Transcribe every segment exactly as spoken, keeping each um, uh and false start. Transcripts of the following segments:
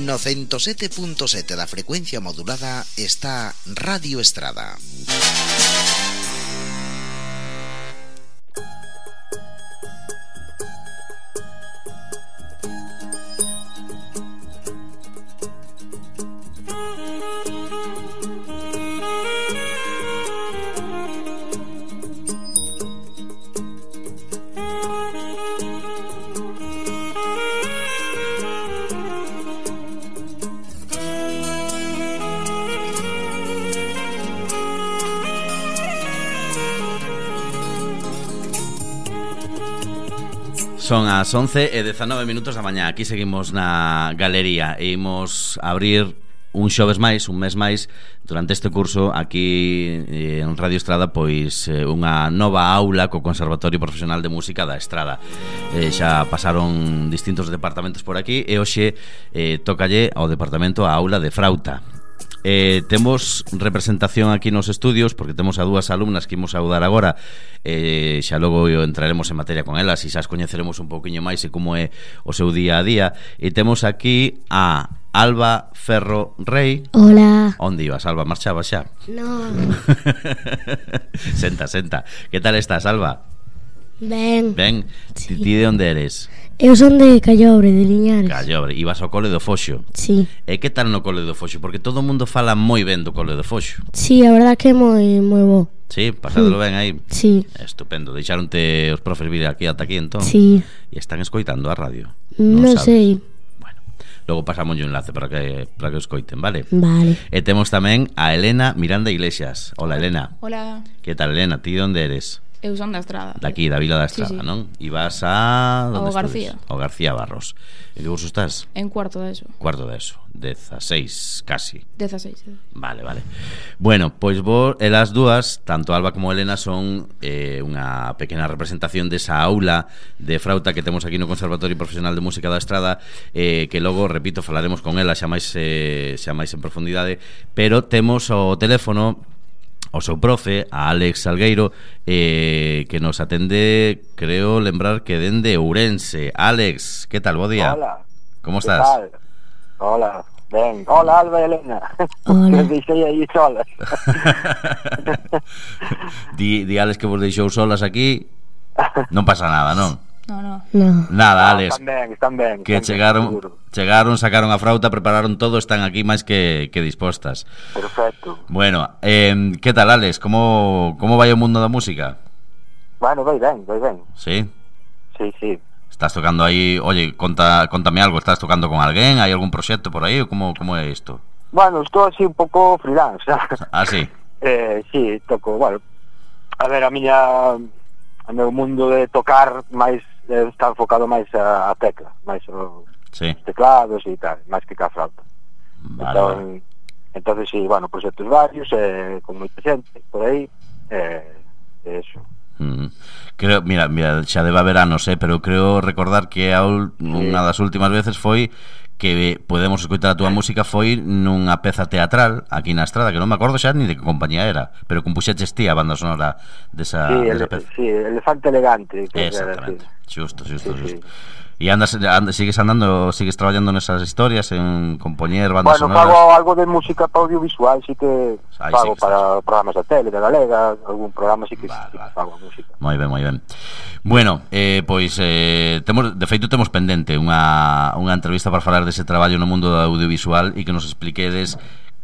No ciento sete punto sete da frecuencia modulada está Radio Estrada. Son as once e dezanove minutos da mañá. Aquí seguimos na galería e imos abrir un xoves máis, un mes máis durante este curso aquí en Radio Estrada, pois unha nova aula co Conservatorio Profesional de Música da Estrada. eh, Xa pasaron distintos departamentos por aquí e hoxe eh, tócalle ao departamento a aula de frauta. Eh, temos representación aquí nos estudios porque temos a dúas alumnas que imos saudar agora. eh, Xa logo entraremos en materia con elas e xa as coñeceremos un pouquiño máis e como é o seu día a día. E temos aquí a Alba Ferro Rey. Hola. Onde ibas, Alba? Marchabas xa? No. Senta, senta. Que tal estás, Alba? Ben. Ben, Sí. ti, ti de onde eres? Eu son de Callobre, de Liñares. Callobre, ibas ao cole do Foxo. Sí. E que tal no cole do Foxo? Porque todo o mundo fala moi ben do cole do Foxo. Sí, a verdad que é moi moi bo. Sí, pasádelo ben aí. Sí. Estupendo. Deixaronte os profes vir aquí ata aquí entón. Sí. E están escoitando a radio. Non sabes? sei. Bueno, logo pasamos un enlace para que para que o escoiten, vale? Vale. E temos tamén a Elena Miranda Iglesias. Hola, Elena. Hola, Que tal, Elena? Ti de onde eres? eu son da Estrada. Daqui, da Vila da Sí, Estrada, sí. non? E vas a... Ao onde García. estudes? Ao García Barros. E que curso estás? En cuarto de eso. Cuarto de eso. Dezaseis, casi. dieciséis. Vale, vale. Bueno, pois vos, elas dúas, tanto Alba como Elena, son eh, unha pequena representación desa aula de frauta que temos aquí no Conservatorio Profesional de Música da Estrada, eh, que logo, repito, falaremos con elas xa máis, eh, xa máis en profundidade, pero temos o teléfono o seu profe, a Alex Salgueiro, eh, que nos atende, creo lembrar que dende Ourense. Alex, que tal? Bo día. Hola. Como estás? ¿Qué tal? Hola, ben. Hola, Alba e Elena. Hola. Que deixei aí solas. di, di Alex que vos deixou solas aquí. Non pasa nada, non? No, no. No. Nada, No, Alex. Están ben, están ben. Que están ben, chegaron, seguro. chegaron, sacaron a frauta, prepararon todo, están aquí máis que, que dispostas. Perfecto. Bueno, eh, que tal, Alex? Como, como vai o mundo da música? Bueno, vai ben, vai ben. Sí? Sí, sí. Estás tocando aí, oye, conta, contame algo, estás tocando con alguén? Hai algún proxecto por aí ou como, como é isto? Bueno, estou así un pouco freelance, ¿sabes? Ah, sí? Eh, sí, toco, bueno. A ver, a miña... O meu mundo de tocar máis eh, está enfocado máis a, a tecla, máis os Sí, teclados e tal, máis que ca flauta. vale, Entón, vale. entonces sí, bueno, proxectos varios, eh, con moita xente por aí, eh, eso. Mm. Creo, mira, mira, xa debe haber anos, eh, pero creo recordar que a ul, Sí. unha das últimas veces foi que podemos escoitar a túa música foi nunha peza teatral aquí na Estrada, que non me acordo xa ni de que compañía era, pero compuxeches ti a banda sonora desa, sí, desa ele, peza. sí, Elefante Elegante, que Exactamente, xusto, xusto, Sí, sí. xusto. E andas, andas, sigues andando, sigues traballando nesas historias en compoñer bandas Bueno, sonoras? fago algo de música para audiovisual, sí que Aí fago sí que para programas de tele, de Galega, algún programa sí que, Vale, sí que vale. fago música. Moi ben, moi ben. Bueno, eh, pois eh, temos, de feito temos pendente unha, unha entrevista para falar dese traballo no mundo do audiovisual e que nos expliquedes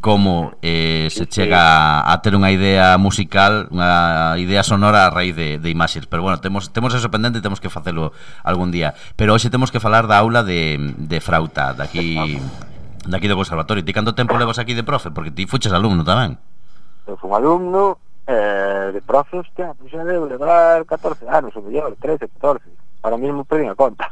como eh, se Sí, sí. chega a ter unha idea musical, unha idea sonora a raíz de, de imaxes. Pero bueno, temos, temos eso pendente e temos que facelo algún día. Pero hoxe temos que falar da aula de, de frauta daqui, daqui do conservatorio. Ti canto tempo levas aquí de profe? Porque ti fuches alumno tamén. Eu fui un alumno eh, de profe, hostia, pues xa debo levar catorce anos, ou mellor, trece, catorce. Ahora mismo perdí a conta.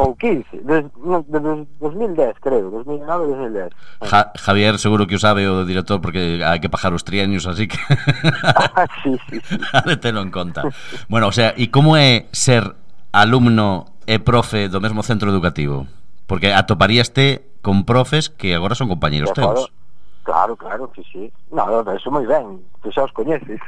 Ou quince, desde, no, desde dos mil dez, creo, dos mil nove, dos mil dez. Ja, Javier seguro que o sabe o director porque hai que pagar os trienios, así que sí, sí, sí. ha de telo en conta. Bueno, o sea, e como é ser alumno e profe do mesmo centro educativo? Porque atoparíaste con profes que agora son compañeros De acordo. teus. Claro, claro, que sí. No, no, eso moi ben, que xa os coñeces.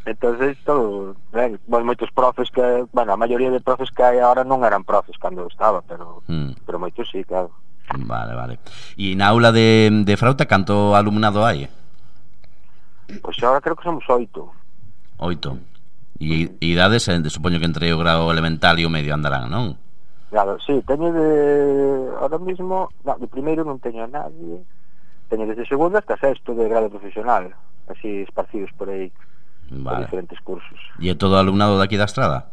Entonces, todo ben. Bueno, moitos profes que, bueno, a maioría de profes que hai agora non eran profes cando eu estaba, pero Mm. pero moitos sí, claro. Vale, vale. E na aula de, de frauta, canto alumnado hai? Pois agora creo que somos oito. Oito. E idades, eh, supoño que entre o grado elemental e o medio andarán, non? Claro, sí, teño de... Ahora mismo, no, de primeiro non teño a nadie. Teño desde segundo hasta sexto de grado profesional, así esparcidos por aí, Vale. por diferentes cursos. E é todo alumnado daqui da Estrada?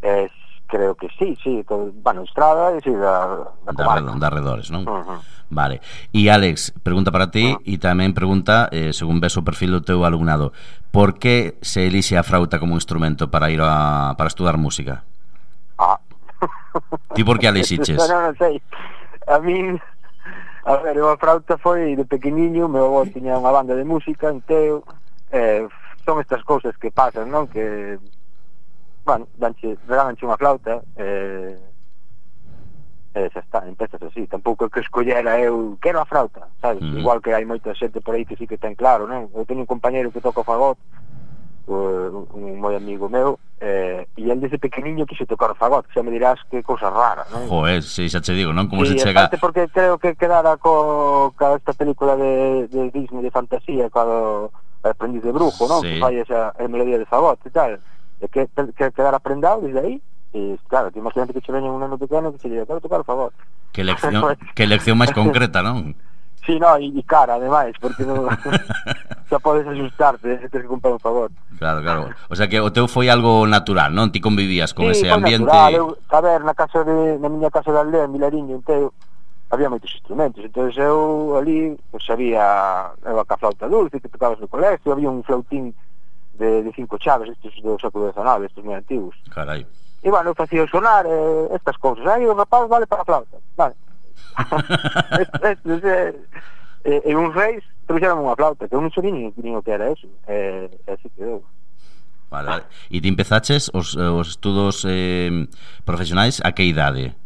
Es, creo que sí, sí, todo, bueno, Estrada e sí, da, da Da, comarca. da arredores, non? Uh-huh. Vale. E Alex, pregunta para ti e uh-huh. tamén pregunta, eh, según ves o perfil do teu alumnado, por que se elixe a frauta como instrumento para ir a, para estudar música? Ah. Ti por que a elixiches? No, non sei. A min, a ver, a frauta foi de pequeniño, meu avó tiña unha banda de música, en Teo, eh, son estas cousas que pasan, non? Que, bueno, danche, regalanche unha flauta, eh, e xa está, empezas así. Tampouco é que escollera eu, quero a flauta, sabes? Mm. Igual que hai moita xente por aí que sí que ten claro, non? Eu teño un compañero que toca o fagot, un, un moi amigo meu, eh, e el desde pequeniño quixo tocar o fagot, xa me dirás que cousa rara, non? Joder, si xa che digo, non? Como sí, se chega... porque creo que quedara co, co esta película de, de Disney de fantasía, co aprendiz de brujo, non? Sí. Que fai esa melodía de fagot e tal, e que, que quedara aprendado desde aí, e claro, que imagínate que che veña un neno pequeno que se diga, quero tocar o fagot. Que lección, que lección máis concreta, non? Sí, no, e, e cara, ademais, porque non... xa podes asustarte, se tens que comprar un favor. Claro, claro. O sea que o teu foi algo natural, non? Ti convivías con sí, ese ambiente. Natural. Eu, a ver, na casa de, na miña casa de aldea, en Vilariño, en Teo, había moitos instrumentos, entonces eu ali, pues había eu a flauta dulce que tocabas no colegio, había un flautín de, de cinco chaves, estes do século dezenove, estes moi antigos. Carai. E bueno, eu facía sonar eh, estas cousas, aí o rapaz vale para a flauta, vale. Estes, eh, e, e uns reis trouxeron unha flauta, que eu non sabía nin, nin o que era eso, e eh, así que eu. Vale, vale. E ti empezaches os, os estudos eh, profesionais a que idade?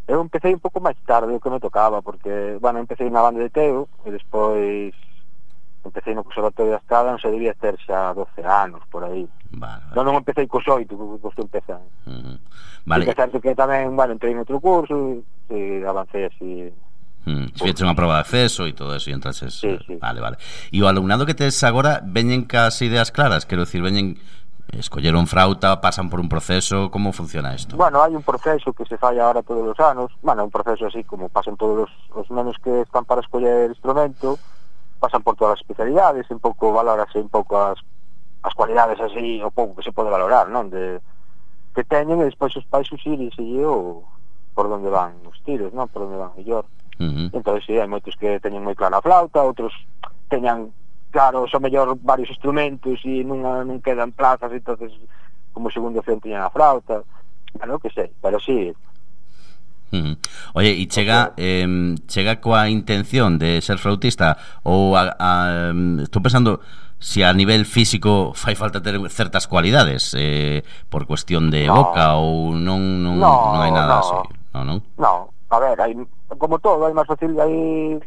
Eu empecé un pouco máis tarde o que me tocaba, porque, bueno, empecé na banda de Teo, e despois empecé no Conservatorio da Estrada, non se debía ter xa doce anos, por aí. Vale, vale. Non, non empecé cos oito, que costou empezar. Uh-huh. Vale. E que que tamén, bueno, entrei en outro curso, e avancei así... Hmm, se fixeche unha prova de acceso e todo eso e entrases. Sí, sí. Vale, vale. E o alumnado que tes agora veñen cas ideas claras, quero dicir, veñen escolleron frauta, pasan por un proceso, como funciona isto? Bueno, hai un proceso que se fai agora todos os anos, bueno, un proceso así como pasan todos os, os nenos que están para escoller instrumento, pasan por todas as especialidades, un pouco valorase un pouco as, as cualidades así, o pouco que se pode valorar, non? De, que teñen, e despois os pais usírense o por onde van os tiros, non? Por onde van mellor. Uh-huh. Entón, sí, hai moitos que teñen moi clara a flauta, outros teñan claro, son mellor varios instrumentos e non, non quedan plazas, entonces como segundo opción teñan a flauta, bueno, que sei, pero sí. Uh-huh. Oye, e chega okay. eh, chega coa intención de ser flautista ou a, a, estou pensando se a nivel físico fai falta ter certas cualidades eh, por cuestión de no. boca ou non non, no, non hai nada no. así, non, non? No, a ver, hai como todo, hai máis facilidade, hai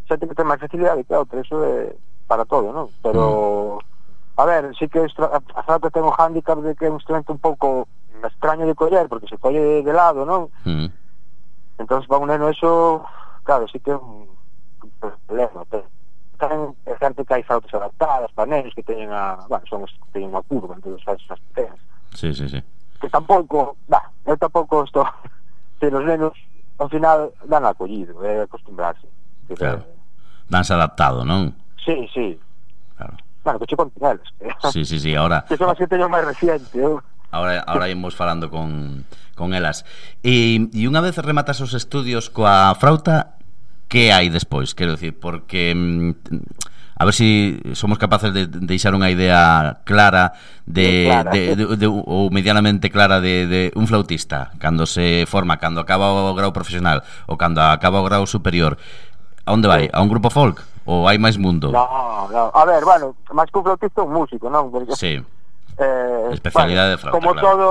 xente que ten máis facilidade que outra, eso é para todo, non? Pero mm. a ver, sí que a flauta ten o hándicap de que é un instrumento un pouco extraño de coller, porque se colle de lado, non? Mm. Entonces para un neno eso, claro, sí que é un problema, pero tamén é certo que hai flautas adaptadas para nenos que teñen a, bueno, son os que teñen unha curva, entón faz as pequenas. Sí, sí, sí. Que tampouco, bah, eu tampouco estou, se os nenos ao final dan acollido, é acostumbrarse. Claro. Danse adaptado, non? Sí, sí. Claro. Bueno, que che conten eles. Sí, sí, sí, ahora... Que son as que teño máis reciente, eu. Ahora, ahora imos falando con, con elas. E, e unha vez rematas os estudios coa frauta, que hai despois? Quero dicir, porque... a ver se si somos capaces de deixar unha idea clara de, clara. de, de, de, ou medianamente clara de, de un flautista cando se forma, cando acaba o grau profesional ou cando acaba o grau superior. A onde vai? A un grupo folk? Ou hai máis mundo? No, no. A ver, bueno, máis que un flautista un músico, non? Porque, sí. Eh, especialidade bueno, de flauta, como claro. todo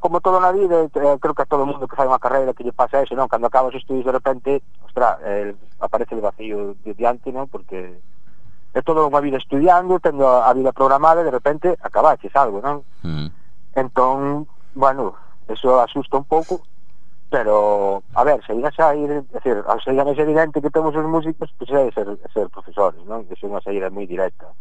como todo na vida, eh, creo que a todo mundo que fai unha carreira que lle pasa eso, non? Cando acabas os estudios de repente, ostra, eh, aparece el vacío de diante, non? Porque é toda unha vida estudiando, tendo a vida programada e de repente acabaches algo, non? Mm. Entón, bueno, eso asusta un pouco, pero, a ver, se iba a sair, é dicir, ao ser máis evidente que temos os músicos, pois pues, é ser, ser profesores, non? Que é unha saída moi directa.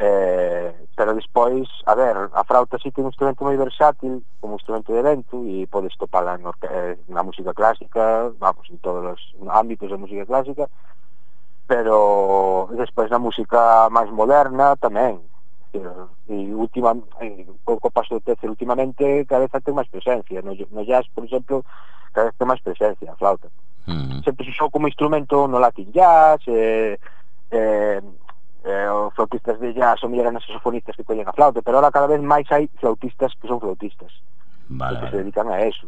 Eh, pero despois, a ver, a frauta sí que é un instrumento moi versátil como instrumento de vento e podes topala en orque- na música clásica, vamos, en todos os ámbitos da música clásica, pero despois na música máis moderna tamén. E última, co paso do tempo últimamente cada vez ten máis presencia no, no jazz, por exemplo, cada vez ten máis presencia a flauta. Mm. Sempre se usou como instrumento no Latin jazz, eh, eh, eh, os flautistas de jazz ou eran as saxofonistas que collen a flauta, pero ahora cada vez máis hai flautistas que son flautistas, vale, que vale. se dedican a eso.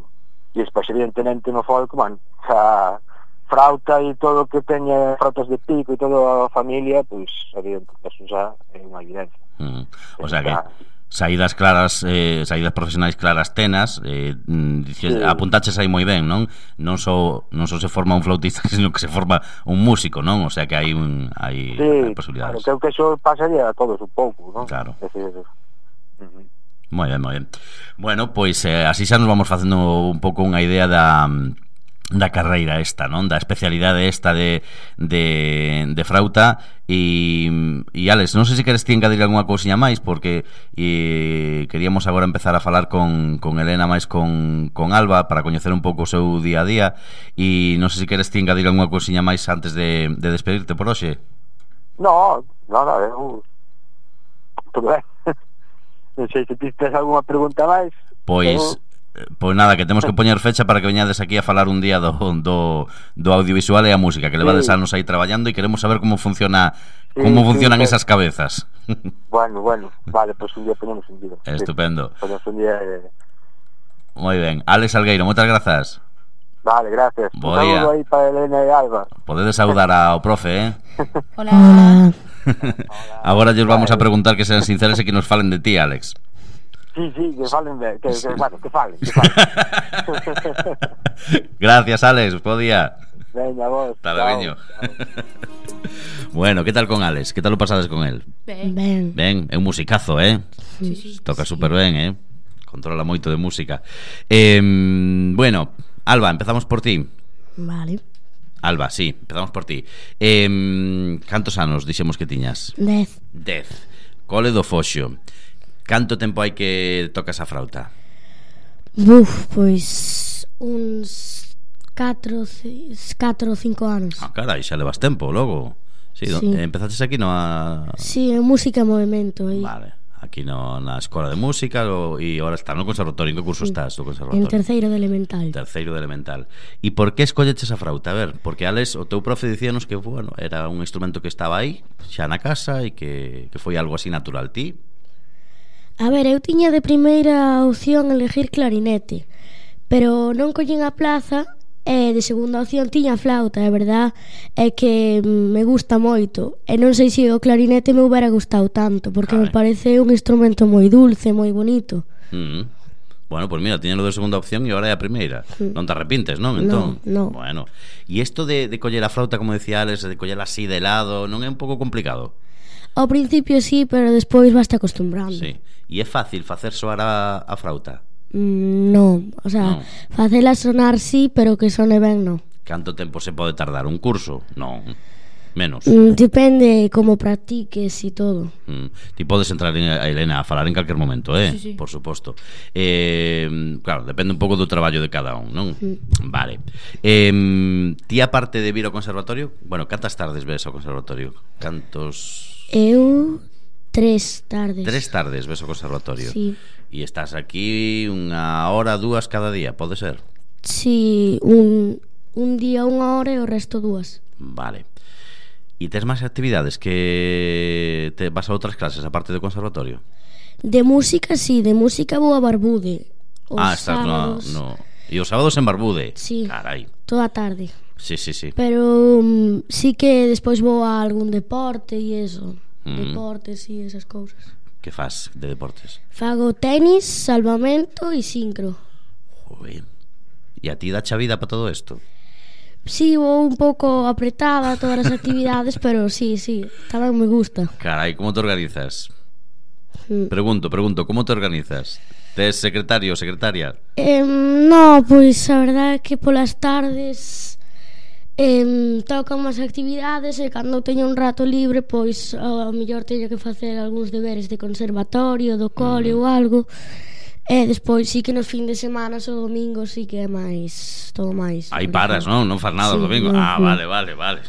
E despois evidentemente no folk, man, a frauta e todo o que teña frautas de pico e toda a familia, pois evidentemente eso xa é unha evidencia. Mm. O sea que saídas claras, eh, saídas profesionais claras tenas, eh, dices, sí. Apuntaches aí moi ben, non? Non só non só se forma un flautista, sino que se forma un músico, non? O sea que hai un hai, sí, hai posibilidades. Claro, creo que eso pasaría a todos un pouco, non? Claro. Es decir, uh-huh. Moi ben, moi ben. Bueno, pois eh, así xa nos vamos facendo un pouco unha idea da da carreira esta, non? Da especialidade esta de, de, de frauta e, e Alex, non sei se queres ti engadir algunha cousiña máis porque e, queríamos agora empezar a falar con, con Elena máis con, con Alba para coñecer un pouco o seu día a día e non sei se queres ti engadir algunha cousiña máis antes de, de despedirte por hoxe. No, nada, eu todo ben. Non sei se ti tes algunha pregunta máis. Pois eu... Pois nada, que temos que poñer fecha para que veñades aquí a falar un día do, do, do audiovisual e a música, que levades sí. anos aí traballando e queremos saber como funciona sí, como funcionan sí, esas cabezas. Bueno, bueno, vale, pois pues un día ponemos un día. Estupendo. Sí, ponemos un día eh... Moi ben, Alex Salgueiro, moitas grazas. Vale, gracias. Bo un día. saludo aí para Elena e Alba. Podedes saudar ao profe, eh? Hola. Hola. Agora lles vamos a preguntar que sean sinceros e que nos falen de ti, Alex. Sí, sí, que falen, que, que, sí. que, bueno, que falen, que falen. Gracias, Alex, bo día. Veña, vos. Hasta luego. Bueno, ¿qué tal con Alex? ¿Qué tal lo pasades con él? Ben. Ben. Ben, é un musicazo, eh? Sí, sí. Toca sí. super ben, eh? Controla moito de música. Eh, bueno, Alba, empezamos por ti. Vale. Alba, sí, empezamos por ti. Eh, cantos anos dixemos que tiñas? Dez. Dez. Cole do Foxo. Canto tempo hai que tocas a frauta? Buf, pois uns catro ou cinco anos. Ah, carai, xa levas tempo, logo. Sí, sí. Empezaches aquí no a... Sí, en música e movimento aí. Vale, aquí no, na escola de música e agora está no conservatorio. En que curso sí. estás do conservatorio? En terceiro de elemental. Terceiro de elemental. E por que escolleches a frauta? A ver, porque Alex, o teu profe dicíanos que, bueno, era un instrumento que estaba aí, xa na casa e que, que foi algo así natural. Ti? A ver, eu tiña de primeira opción elegir clarinete, pero non collín a plaza e de segunda opción tiña flauta. A verdad é que me gusta moito e non sei se o clarinete me hubiera gustado tanto porque Carai. me parece un instrumento moi dulce, moi bonito. Mm. Bueno, pois pues mira, tiñalo de segunda opción e agora é a primeira. mm. Non te arrepintes, non? Entón, no, no. Bueno, e isto de, de coller a flauta, como decía Alex, de coller así de lado, non é un pouco complicado? Ao principio sí, pero despois vas te acostumbrando. Sí. E é fácil facer soar a, a frauta? Mm, non, o sea, no. facela sonar sí, pero que sone ben non. Canto tempo se pode tardar un curso? Non, menos. Mm, depende como practiques e todo. Mm. Ti podes entrar en, a Elena a falar en calquer momento, eh? Sí, sí. Por suposto. Eh, claro, depende un pouco do traballo de cada un, non? Mm. Vale. Eh, ti aparte de vir ao conservatorio, bueno, cantas tardes ves ao conservatorio? Cantos... Eu tres tardes. Tres tardes ves ao conservatorio. Sí. E estás aquí unha hora, dúas cada día, pode ser? Sí, un, un día unha hora e o resto dúas. Vale. E tes máis actividades que te vas a outras clases aparte do conservatorio? De música, sí, de música vou a Barbude. Os ah, estás sábados... no, no... E os sábados en Barbude? Sí, carai. Toda a tarde. Sí, sí, sí. Pero um, sí que despois vou a algún deporte e eso. Mm. Deportes e esas cousas. Que faz de deportes? Fago tenis, salvamento e sincro. Joder. E a ti dá cha vida para todo isto? Sí, vou un pouco apretada a todas as actividades, pero sí, sí, tamén me gusta. Carai, como te organizas? Mm. Pregunto, pregunto, como te organizas? Tes secretario ou secretaria? Eh, no, pois a verdade é que polas tardes eh, tocan máis actividades e cando teño un rato libre pois ao mellor teño que facer algúns deberes de conservatorio, do cole mm. ou algo. E despois sí que nos fin de semana o domingo sí que é máis todo máis. Aí paras, non? Non faz nada sí, o domingo. No, ah, no. vale, vale, vale.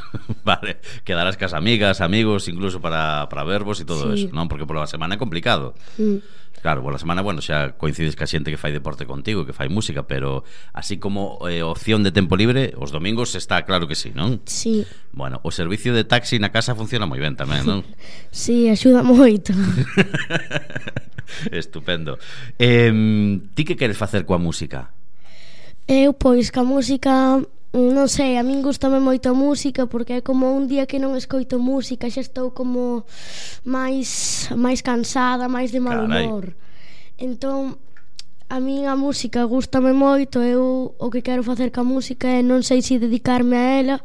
Vale, quedarás cas amigas, amigos, incluso para, para verbos e todo sí. eso, non? Porque pola semana é complicado. Mm. Claro, pola semana, bueno, xa coincides ca xente que fai deporte contigo, que fai música, pero así como eh, opción de tempo libre, os domingos está claro que sí, non? Sí. Bueno, o servicio de taxi na casa funciona moi ben tamén, non? Sí, axuda moito. Estupendo. Eh, ti que queres facer coa música? Eu, pois, ca música, non sei, a min gustame moito a música porque é como un día que non escoito música, xa estou como máis máis cansada, máis de mal Carai. humor. Entón, a min a música gustame moito, eu o que quero facer ca música é non sei se dedicarme a ela,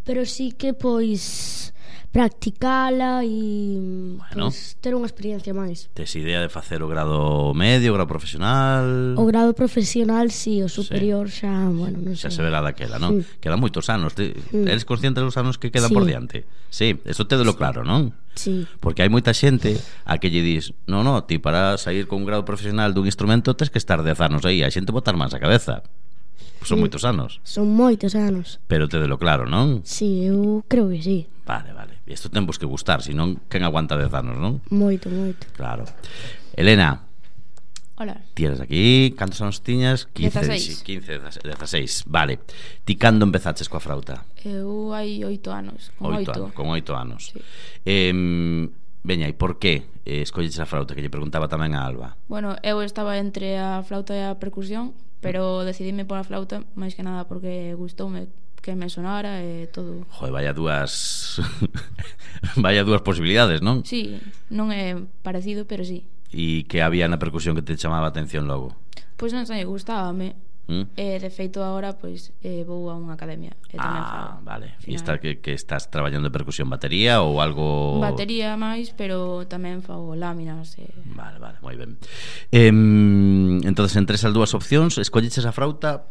pero sí que, pois, practicala e bueno, pois, ter unha experiencia máis. Tes idea de facer o grado medio, o grado profesional? O grado profesional, sí, o superior sí. xa, bueno, non xa sei. se verá daquela, non? Sí. Quedan moitos anos. Te, mm. Eres consciente dos anos que quedan sí. por diante? Sí, eso te de lo sí. claro, non? Sí. Porque hai moita xente a que lle dis no, no, ti para sair con un grado profesional dun instrumento tes que estar dez anos aí. A xente botar máis a cabeza. Son sí. moitos anos. Son moitos anos. Pero te de lo claro, non? Sí, eu creo que sí. Vale, vale. E isto temos que gustar, senón quen aguanta dez anos, non? Moito, moito. Claro. Elena. Hola. Ti eres aquí, cantos anos tiñas? quince, dezaseis. quince, dezaseis. Vale. Ti cando empezaches coa frauta? Eu hai oito anos, con oito. Anos, con oito anos. Sí. Eh, veña, e por que eh, escolleches a frauta? Que lle preguntaba tamén a Alba. Bueno, eu estaba entre a flauta e a percusión, pero decidime por a flauta máis que nada porque gustoume que me sonara e todo. Joder, vaya dúas vaya dúas posibilidades, non? Sí, non é parecido, pero sí. E que había na percusión que te chamaba a atención logo? Pois non sei, gustábame. ¿Mm? E de feito agora pois eh, vou a unha academia e tamén Ah, fago. vale. E está que, que estás traballando de percusión, batería ou algo? Batería máis, pero tamén fago láminas e... Vale, vale, moi ben. eh, Entonces, entre esas dúas opcións escolleches a frauta?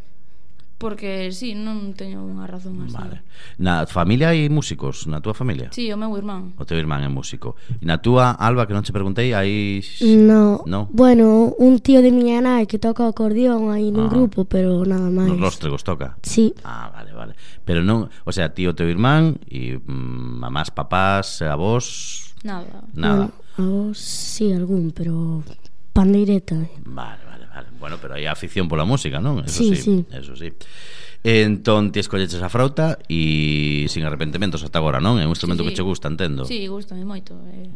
Porque sí, non teño unha razón así. Vale. Na familia hai músicos? Na túa familia? Sí, o meu irmán. O teu irmán é músico. E na túa, Alba, que non te preguntei, hai... No, no? Bueno, un tío de miña nai que toca o acordeón aí nun Ah. grupo, pero nada máis. Nos róstregos toca? Sí. Ah, vale, vale. Pero non, o sea, ti o teu irmán e mm, mamás, papás, avós... Nada. Nada. Bueno, a vos sí, algún, pero pandeireta. Vale, vale, vale. Bueno, pero hai afición pola música, non? Eso Sí, sí, sí. eso sí. Entón ti escolleches a frauta e sin arrepentimentos ata agora, non? É un instrumento Sí, sí. que che gusta, entendo. Sí, gustame moito, é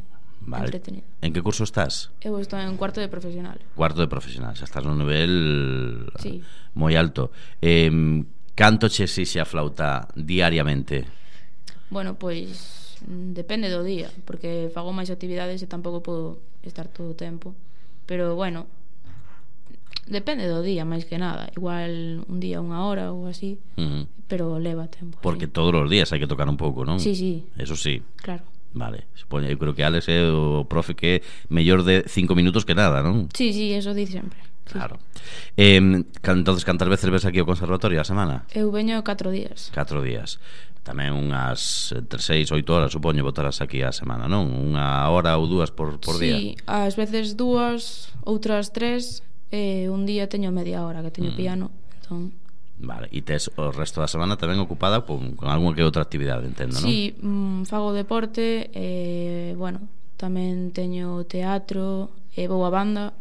Vale. entretenido. En que curso estás? Eu estou en cuarto de profesional. Cuarto de profesional, xa estás nun nivel Sí. moi alto. Eh, canto che exixe a flauta diariamente? Bueno, pois mm, depende do día, porque fago máis actividades e tampouco podo estar todo o tempo. Pero bueno, depende do día máis que nada. Igual un día unha hora ou así, Uh -huh. pero leva tempo. Porque sí. todos os días hai que tocar un pouco, non? Sí, sí. Eso sí. Claro. Vale, supoño, eu creo que Alex é o profe que é mellor de cinco minutos que nada, non? Sí, sí, eso di sempre. Sí. Claro. Eh, entonces, cantas veces ves aquí ao conservatorio a semana? Eu veño catro días. Catro días. Tamén unhas entre seis, oito horas, supoño, botarás aquí a semana, non? Unha hora ou dúas por, por día? Sí, ás veces dúas, outras tres, e un día teño media hora que teño Mm. piano, entón... Vale, e tes o resto da semana tamén ocupada con, con algunha que outra actividade, entendo, non? Sí, mm, fago deporte, e, bueno, tamén teño teatro, e vou a banda,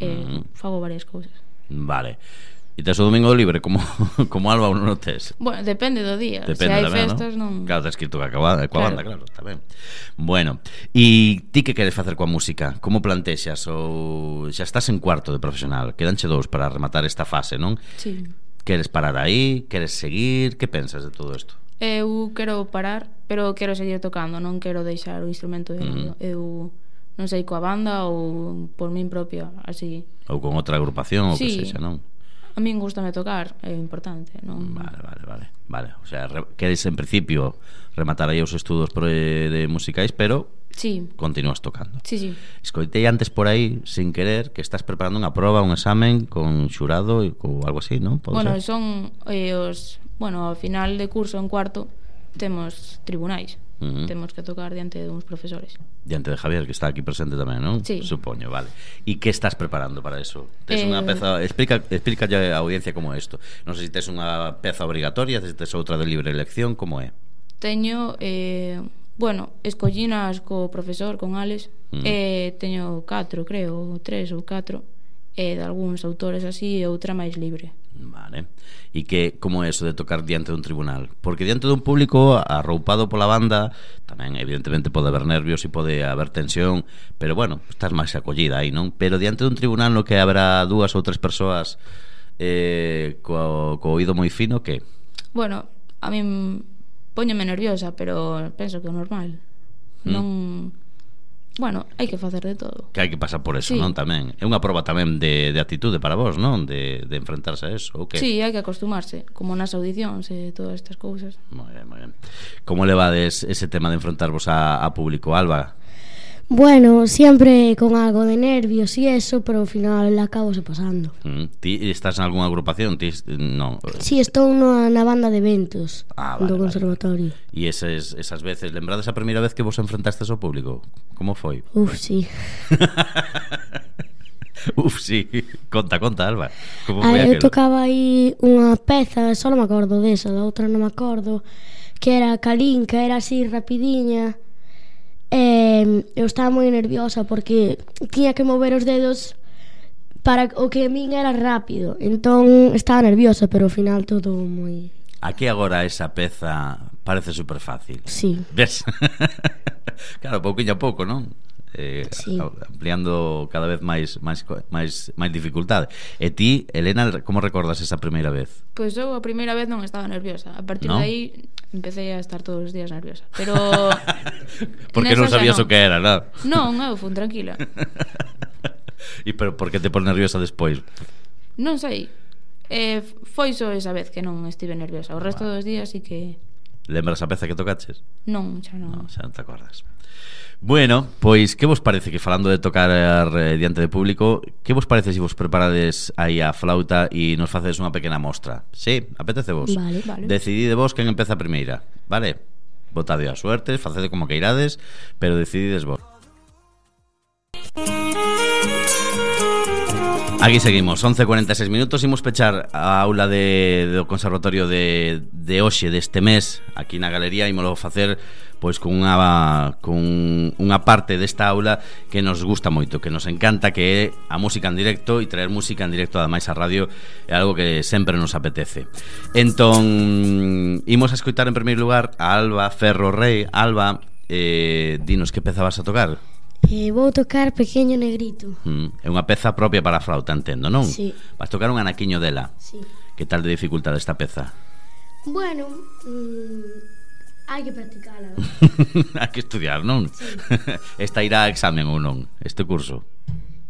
e Mm. fago varias cousas. Vale. E tes o domingo libre como, como Alba ou non o tes? Bueno, depende do día. Depende Se hai tamén, festas, non? non... Claro, tens que ir tocar coa, coa Claro. banda, claro, está ben. Bueno, e ti que queres facer coa música? Como plantexas? Ou xa estás en cuarto de profesional? Quedanche dous para rematar esta fase, non? Sí. Queres parar aí? Queres seguir? Que pensas de todo isto? Eu quero parar, pero quero seguir tocando, non quero deixar o instrumento de lado. Mm. Eu non sei, coa banda ou por min propia, así. Ou con outra agrupación ou Sí. que sexa, non? A min gustame tocar, é importante, non? Vale, vale, vale, vale. O sea, re, queres en principio rematar aí os estudos pro, de musicais, pero Sí. Continúas tocando. Sí, sí. Escoitei antes por aí, sin querer, que estás preparando unha proba, un examen con xurado ou algo así, non? Pode Bueno, ser? son eh, os... Bueno, ao final de curso, en cuarto, temos tribunais. Uh-huh. Temos que tocar diante de uns profesores. Diante de Javier, que está aquí presente tamén, non? Sí. Supoño, vale. E que estás preparando para eso? Tes Eh, unha peza... Explica, explica a audiencia como é isto. Non sei se tes unha peza obrigatoria, se tes outra de libre elección, como é? Teño, eh, bueno, escollinas co profesor, con Alex, Mm. e teño catro, creo, ou tres ou catro, e de algúns autores así, e outra máis libre. Vale. E que como é eso de tocar diante dun tribunal? Porque diante dun público arroupado pola banda, tamén evidentemente pode haber nervios e pode haber tensión, pero bueno, estás máis acollida aí, non? Pero diante dun tribunal no que haberá dúas ou tres persoas eh, co, co oído moi fino, que? Bueno, a min póñome nerviosa, pero penso que é normal. Mm. Non... Bueno, hai que facer de todo. Que hai que pasar por eso, Sí. non? Tamén é unha proba tamén de, de actitude para vos, non? De, de enfrentarse a eso, ou que? Sí, hai que acostumarse, como nas audicións e todas estas cousas. Moi ben, moi ben. Como levades ese tema de enfrentarvos a, a público, Alba? Bueno, siempre con algo de nervios y eso, pero ao final acabose pasando. Mm, ti estás en algunha agrupación? Ti, non. Sí, estou na, na banda de eventos Ah, vale, do vale. conservatorio. E esas, esas veces, lembrades a primeira vez que vos enfrentastes ao público? Como foi? Uf, sí. Uf, sí. Conta, conta, Alba. Como Ah, foi eu aquilo? tocaba aí unha peza, só non me acordo desa, da outra non me acordo, que era calinca, era así rapidiña. E eu estaba moi nerviosa porque tiña que mover os dedos para o que a min era rápido. Entón estaba nerviosa, pero ao final todo moi... Aquí agora esa peza parece super fácil. Sí. Ves? Claro, pouquinho a pouco, non? Eh, Sí. ampliando cada vez máis máis co- máis máis dificultade. E ti, Elena, como recordas esa primeira vez? Pois eu a primeira vez non estaba nerviosa. A partir ¿No? de aí empecé a estar todos os días nerviosa. Pero Porque non nesa xa sabías non. o que era, non? Non, eu fun tranquila. E pero por que te pon nerviosa despois? Non sei. Eh, foi só esa vez que non estive nerviosa. O resto dos días sí que Lembras a peza que tocaches? non, xa non. Non, xa non te acordas. Bueno, pois que vos parece que falando de tocar eh, diante de público, que vos parece se vos preparades aí a flauta e nos facedes unha pequena mostra? Sí, apetece vos? Vale, vale. Decidide vos quen empeza primeira, vale? Botade a suerte, facede como que irades, pero decidides vos. Aquí seguimos, once e cuarenta e seis minutos. Imos pechar a aula de, do Conservatorio de, de hoxe, deste mes, aquí na galería. Imolo facer pois con unha, con unha parte desta aula que nos gusta moito, que nos encanta, que é a música en directo. E traer música en directo ademais a radio é algo que sempre nos apetece. Entón, imos a escoitar en primeiro lugar a Alba Ferro Rey. Alba, eh, dinos que peza vas a tocar? Eh, vou tocar Pequeño Negrito. Mm, é unha peza propia para a flauta, entendo, non? Sí. Vas tocar un anaquiño dela. Sí. Que tal de dificultade esta peza? Bueno, mm, hai que practicala. Hai que estudiar, non? Sí. Esta irá a examen ou non? Este curso?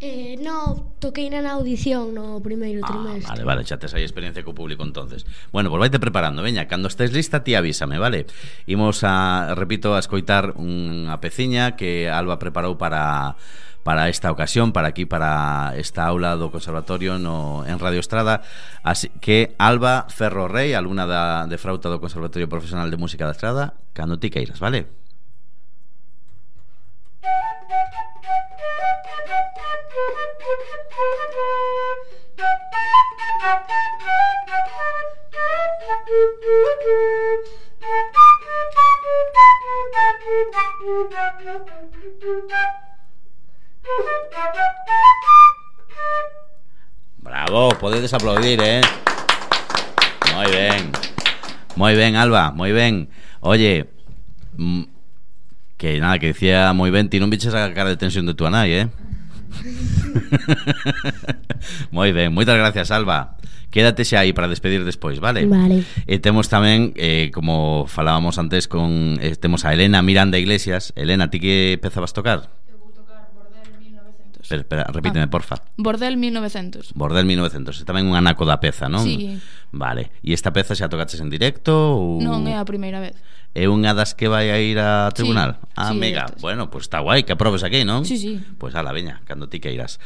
Eh, no, toquei na audición no primeiro Ah, trimestre. vale, vale, xa tes aí experiencia co público entonces. Bueno, pois vaite preparando, veña, cando estés lista ti avísame, vale? Imos a, repito, a escoitar unha peciña que Alba preparou para para esta ocasión, para aquí, para esta aula do Conservatorio no, en Radio Estrada. Así que Alba Ferro Rey, alumna da, de frauta do Conservatorio Profesional de Música da Estrada, cando ti queiras, vale? Bravo, podedes aplaudir, eh? Moi ben. Moi ben, Alba, moi ben. Oye, mm, que nada, que decía moi ben, ti non viches a cara de tensión de tua nai, eh? Moi ben, moitas gracias, Alba. Quédate xa aí para despedir despois, vale? Vale. E temos tamén, eh, como falábamos antes con, eh, temos a Elena Miranda Iglesias. Elena, ti que peza vas tocar? Eu vou tocar Bordel mil novecentos. novecientos. Espera, espera, repíteme, Ah. porfa. Bordel mil novecientos. Bordel mil novecientos, é tamén un anaco da peza, non? Sí. Vale, e esta peza xa tocaches en directo ou... Non é a primeira vez. É unha das que vai a ir a tribunal? Sí, ah, sí, mega, estas. bueno, pues está guai que aprobes aquí, non? Sí, sí. Pois ala, veña, cando ti queiras.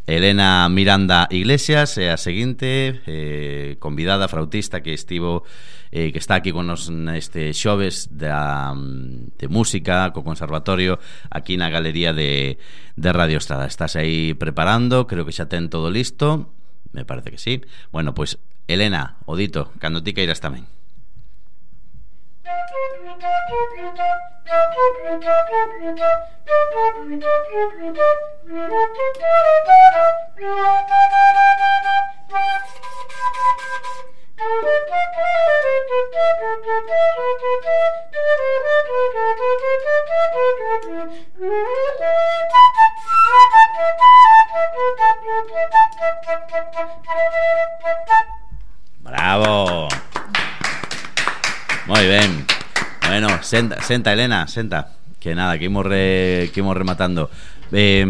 Elena Miranda Iglesias é a seguinte eh, convidada flautista que estivo eh, que está aquí con nos neste xoves da, de música co conservatorio aquí na galería de, de Radio Estrada. Estás aí preparando, creo que xa ten todo listo, me parece que sí. Bueno, pois Elena, o dito, cando ti queiras tamén. Bravo. Moi ben. Bueno, senta, senta Elena, senta. Que nada, que imos, re, que imos rematando. eh,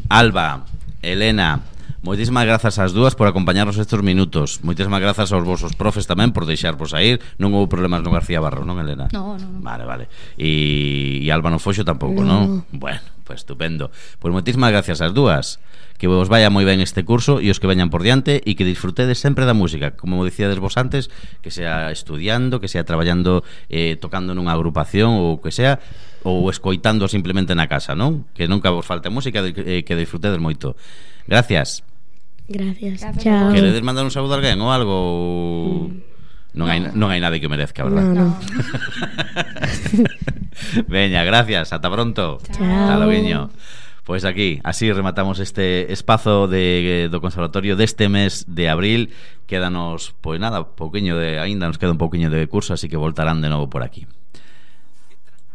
Alba, Elena, moitísimas grazas ás dúas por acompañarnos estes minutos. Moitísimas grazas aos vosos profes tamén por deixarvos a ir. Non houve problemas no García Barros, non, Elena? No, no, no. Vale, vale. E, e Alba no Foxo tampouco, non? Bueno, pues estupendo. Pois moitísimas gracias ás dúas. Que vos vaya moi ben este curso e os que veñan por diante e que disfrutedes sempre da música, como dicíades vos antes, que sea estudiando, que sea traballando, eh, tocando nunha agrupación ou que sea, ou escoitando simplemente na casa, non? Que nunca vos falte música e eh, que disfrutedes moito. Gracias. Gracias. Gracias Chao. a vos. Queredes mandar un saúdo a alguén ou algo? Non hai, non hai nadie que o merezca, verdad? No, no. Veña, gracias, ata pronto. Chao. Ata loguiño. Pois aquí, así rematamos este espazo de, do conservatorio deste mes de abril. Quédanos, pois nada, pouquiño de, aínda nos queda un pouquiño de curso, así que voltarán de novo por aquí.